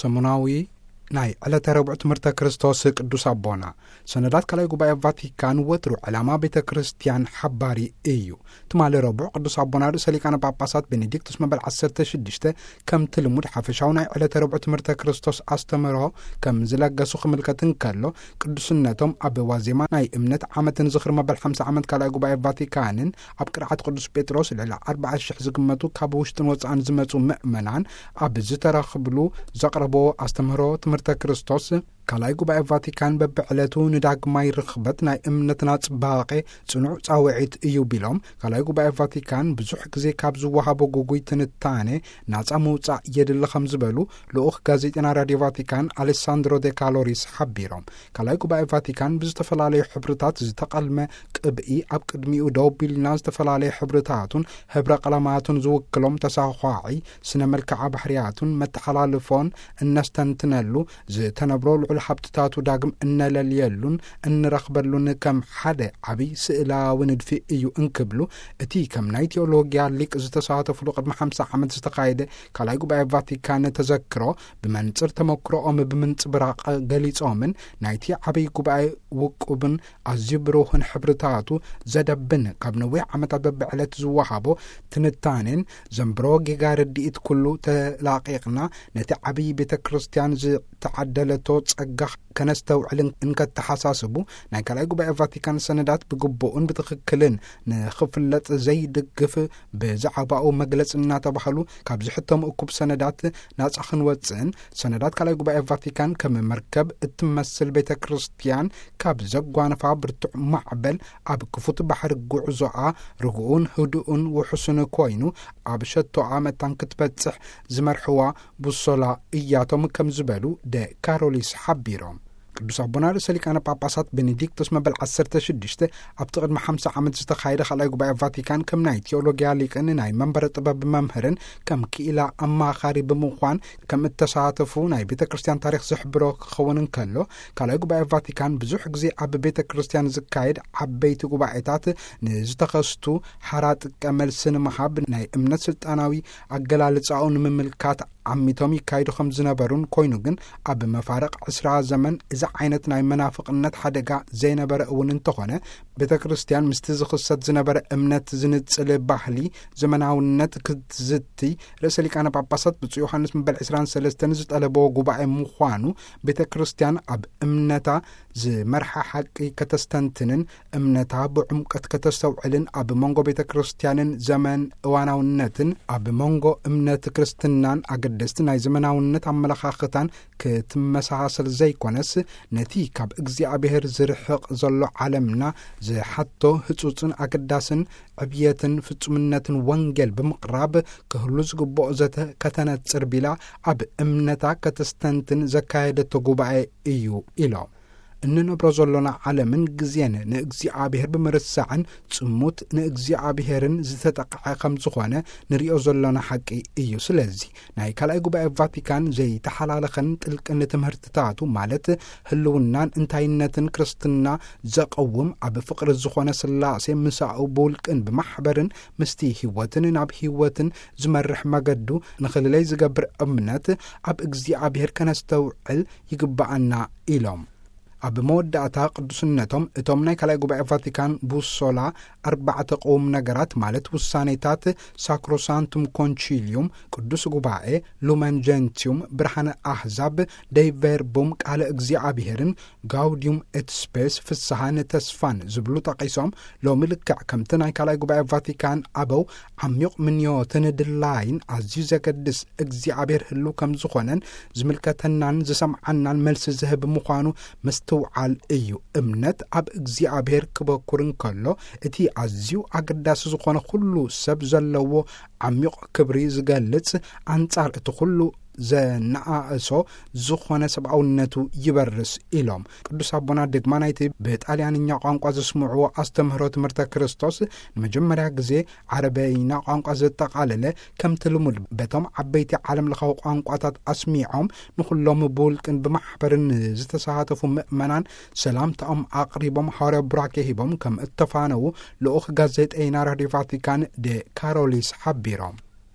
ሰሙናዊ ናይ ዕለተ ረቡዕ ትምህርተ ክርስቶስ ቅዱስ ኣቦና። ሰነዳት ካልኣይ ጉባኤ ቫቲካን ወትሩ ዕላማ ቤተ ክርስቲያን ሓባሪ እዩ። ትማሊ ረቡዕ ቅዱስ ኣቦና ርእሰ ሊቃነ ጳጳሳት ቤኔዲክቱስ መበል ዓሰርተ ሽዱሽተ ከምቲ ልሙድ ሓፈሻዊ ናይ ዕለተ ረቡዕ ትምህርተ ክርስቶስ ኣስተምህሮ ከም ዝለገሱ ክምልከት እንከሎ፣ ቅዱስነቶም ኣብ ዋዜማ ናይ እምነት ዓመትን ዝኽሪ መበል ሓምሳ ዓመት ካልኣይ ጉባኤ ቫቲካንን ኣብ ቅርዓት ቅዱስ ጴጥሮስ ልዕሊ ኣርባዓ ሽሕ ዝግመቱ ካብ ውሽጥን ወጻእን ዝመጹ ምእመናን ኣብ ዝተረኽብሉ ዘቕረቦ ኣስተምህሮ ትምህርተ ክርስቶስ፣ ካልኣይ ጉባኤ ቫቲካን በብዕለቱ ንዳግማይ ርኽበት ናይ እምነትና ጽባቐ ጽኑዕ ጻውዒት እዩ ቢሎም፣ ካልኣይ ጉባኤ ቫቲካን ብዙሕ ግዜ ካብ ዝወሃቦ ጉጉይ ትንታኔ ናጻ ምውጻእ የድሊ ከም ዝበሉ ልኡኽ ጋዜጠና ራድዮ ቫቲካን ኣሌሳንድሮ ዴ ካሎሪስ ሓቢሮም። ካልኣይ ጉባኤ ቫቲካን ብዝተፈላለዩ ሕብርታት ዝተቐልመ ቅብኢ፣ ኣብ ቅድሚኡ ደው ቢልና ዝተፈላለየ ሕብርታቱን ሕብረ ቀለማቱን ዝውክሎም ተሳዃዒ ስነ መልክዓ ባህርያቱን መተሓላልፎን እነስተንትነሉ፣ ዝተነብሮ ልዑል ሃብትታቱ ዳግም እነለልየሉን እንረኽበሉን ከም ሓደ ዓብይ ስእላዊ ንድፊ እዩ እንክብሉ፣ እቲ ከም ናይ ቴዎሎጊያ ሊቅ ዝተሳተፍሉ ቅድሚ ሓምሳ ዓመት ዝተኻየደ ካልኣይ ጉባኤ ቫቲካን ተዘክሮ ብመንጽር ተመክሮኦም ብምንጽብራቕ ገሊጾምን፣ ናይቲ ዓብይ ጉባኤ ውቁብን ኣዝዩ ብሩህን ሕብርታቱ ዘደብን ካብ ነዊሕ ዓመታት በብዕለት ዝወሃቦ ትንታኔን ዘንብሮ ጌጋ ርድኢት ኩሉ ተላቒቕና፣ ነቲ ዓብይ ቤተ ክርስቲያን ዝተዓደለቶ ጸጋ ከነስተውዕል እንከተሓሳስቡ፣ ናይ ካልኣይ ጉባኤ ቫቲካን ሰነዳት ብግቡእን ብትኽክልን ንኽፍለጥ ዘይድግፍ ብዛዕባኡ መግለጺ እናተባህሉ ካብ ዝሕተሙ እኩብ ሰነዳት ናጻ ክንወጽእን፣ ሰነዳት ካልኣይ ጉባኤ ቫቲካን ከም መርከብ እትመስል ቤተ ክርስቲያን ካብ ዘጓንፋ ብርቱዕ ማዕበል ኣብ ክፉት ባሕሪ ጉዕዞኣ ርጉኡን ህዱኡን ውሑስን ኮይኑ ኣብ ሸቶኣ መታን ክትበጽሕ ዝመርሕዋ ቡሶላ እያቶም ከም ዝበሉ ደ ካሮሊስ ሓቢሮም። ቅዱስ ኣቦና ርእሰ ሊቃነ ጳጳሳት ቤኔዲክቶስ መበል ዓሰርተ ሽዱሽተ ኣብቲ ቅድሚ ሓምሳ ዓመት ዝተኻየደ ካልኣይ ጉባኤ ቫቲካን ከም ናይ ቴዎሎጊያ ሊቅን ናይ መንበረ ጥበብ መምህርን ከም ክኢላ ኣማኻሪ ብምዃን ከም እተሳተፉ ናይ ቤተ ክርስቲያን ታሪኽ ዝሕብሮ ክኸውን እንከሎ፣ ካልኣይ ጉባኤ ቫቲካን ብዙሕ ግዜ ኣብ ቤተ ክርስቲያን ዝካየድ ዓበይቲ ጉባኤታት ንዝተኸስቱ ሓራ ጥቀ መልሲ ንምሃብ ናይ እምነት ስልጣናዊ ኣገላልጻኡ ንምምልካት ዓሚቶም ይካይዱ ከም ዝነበሩን፣ ኮይኑ ግን ኣብ መፋርቕ ዕስራ ዘመን እዚ ዓይነት ናይ መናፍቕነት ሓደጋ ዘይነበረ እውን እንተኾነ፣ ቤተ ክርስቲያን ምስቲ ዝኽሰት ዝነበረ እምነት ዝንጽል ባህሊ ዘመናውነት ክትዝቲ ርእሰ ሊቃነ ጳጳሳት ብፁዕ ዮሃንስ መበል ዕስራን ሰለስተን ዝጠለቦ ጉባኤ ምዃኑ፣ ቤተ ክርስቲያን ኣብ እምነታ ዝመርሓ ሓቂ ከተስተንትንን እምነታ ብዕምቀት ከተስተውዕልን፣ ኣብ መንጎ ቤተ ክርስቲያንን ዘመን እዋናውነትን ኣብ መንጎ እምነት ክርስትናን ኣገደስቲ ናይ ዘመናውነት ኣመለኻኽታን ክትመሳሳሰል ዘይኮነስ፣ ነቲ ካብ እግዚኣብሔር ዝርሕቕ ዘሎ ዓለምና ዝሓቶ ህጹጽን ኣገዳስን ዕብየትን ፍጹምነትን ወንጌል ብምቕራብ ክህሉ ዝግብኦ ዘተ ከተነጽር ቢላ ኣብ እምነታ ከተስተንትን ዘካየደቶ ጉባኤ እዩ ኢሎም። እንነብሮ ዘሎና ዓለምን ግዜን ንእግዚኣብሔር ብምርሳዕን ጽሙት ንእግዚኣብሔርን ዝተጠቕዐ ከም ዝኾነ ንሪኦ ዘሎና ሓቂ እዩ። ስለዚ ናይ ካልኣይ ጉባኤ ቫቲካን ዘይተሓላለኸን ጥልቅን ትምህርትታቱ፣ ማለት ህልውናን እንታይነትን ክርስትና ዘቐውም፣ ኣብ ፍቕሪ ዝኾነ ስላሴ ምሳኡ ብውልቅን ብማሕበርን ምስቲ ህይወትን ናብ ህይወትን ዝመርሕ መገዱ ንኽልለይ ዝገብር እምነት ኣብ እግዚኣብሔር ከነስተውዕል ይግብኣና ኢሎም። ኣብ መወዳእታ ቅዱስነቶም እቶም ናይ ካልኣይ ጉባኤ ቫቲካን ቡሶላ ኣርባዕተ ቅውም ነገራት፣ ማለት ውሳኔታት ሳክሮሳንቱም ኮንቺልዩም፣ ቅዱስ ጉባኤ፣ ሉመን ጀንቲዩም፣ ብርሃነ ኣህዛብ፣ ደይ ቨርቡም፣ ቃለ እግዚኣብሔርን፣ ጋውዲዩም ኤት ስፔስ፣ ፍስሃን ተስፋን ዝብሉ ጠቒሶም፣ ሎሚ ልክዕ ከምቲ ናይ ካልኣይ ጉባኤ ቫቲካን ኣበው ዓሚቕ ምንዮትን ድላይን ኣዝዩ ዘገድስ እግዚኣብሔር ህልው ከም ዝኾነን ዝምልከተናን ዝሰምዓናን መልሲ ዝህብ ምዃኑ ምስትውዓል እዩ። እምነት ኣብ እግዚኣብሔር ክበኩር እንከሎ፣ እቲ ኣዝዩ ኣገዳሲ ዝኾነ ኩሉ ሰብ ዘለዎ ዓሚቕ ክብሪ ዝገልጽ፣ ኣንጻር እቲ ኩሉ ዘነኣእሶ ዝኾነ ሰብኣውነቱ ይበርስ ኢሎም። ቅዱስ ኣቦና ደግማ ናይቲ ብጣልያንኛ ቋንቋ ዘስምዕዎ ኣስተምህሮ ትምህርተ ክርስቶስ ንመጀመርያ ግዜ ዓረበይና ቋንቋ ዘጠቓለለ፣ ከምቲ ልሙድ በቶም ዓበይቲ ዓለም ለኻዊ ቋንቋታት ኣስሚዖም፣ ንኹሎም ብውልቅን ብማሕበርን ዝተሳተፉ ምእመናን ሰላምታኦም ኣቕሪቦም፣ ሃዋርያዊ ቡራኬ ሂቦም ከም እተፋነዉ ልኡኽ ጋዜጠይና ራድዮ ቫቲካን ደ ካሮሊስ ሓቢሮም።